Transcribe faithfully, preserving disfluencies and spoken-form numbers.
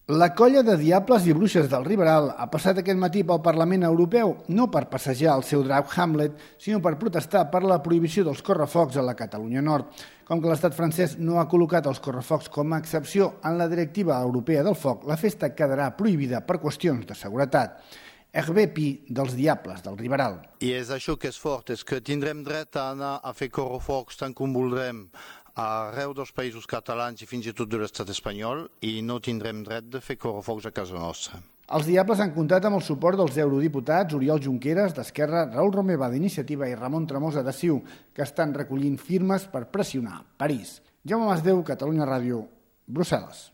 La colla de diables i bruixes del Riberal ha passat aquest matí pel Parlament Europeu no per passejar el seu drac Hamlet, sinó per protestar per la prohibició dels correfocs a la Catalunya Nord. Com que l'estat francès no ha col·locat els correfocs com a excepció en la directiva europea del foc, la festa quedarà prohibida per qüestions de seguretat. Hervé Pi, dels Diables del Riberal. I és això que és fort, és que tindrem dret a anar a fer correfocs tant com voldrem arreu dels països catalans i fins i tot de l'estat espanyol i no tindrem dret de fer correfocs a casa nostra. Els Diables han comptat amb el suport dels eurodiputats Oriol Junqueras, d'Esquerra, Raül Romeva, d'Iniciativa i Ramon Tremosa, de C I U, que estan recollint firmes per pressionar París. Jaume Masdeu, Catalunya Ràdio, Brussel·les.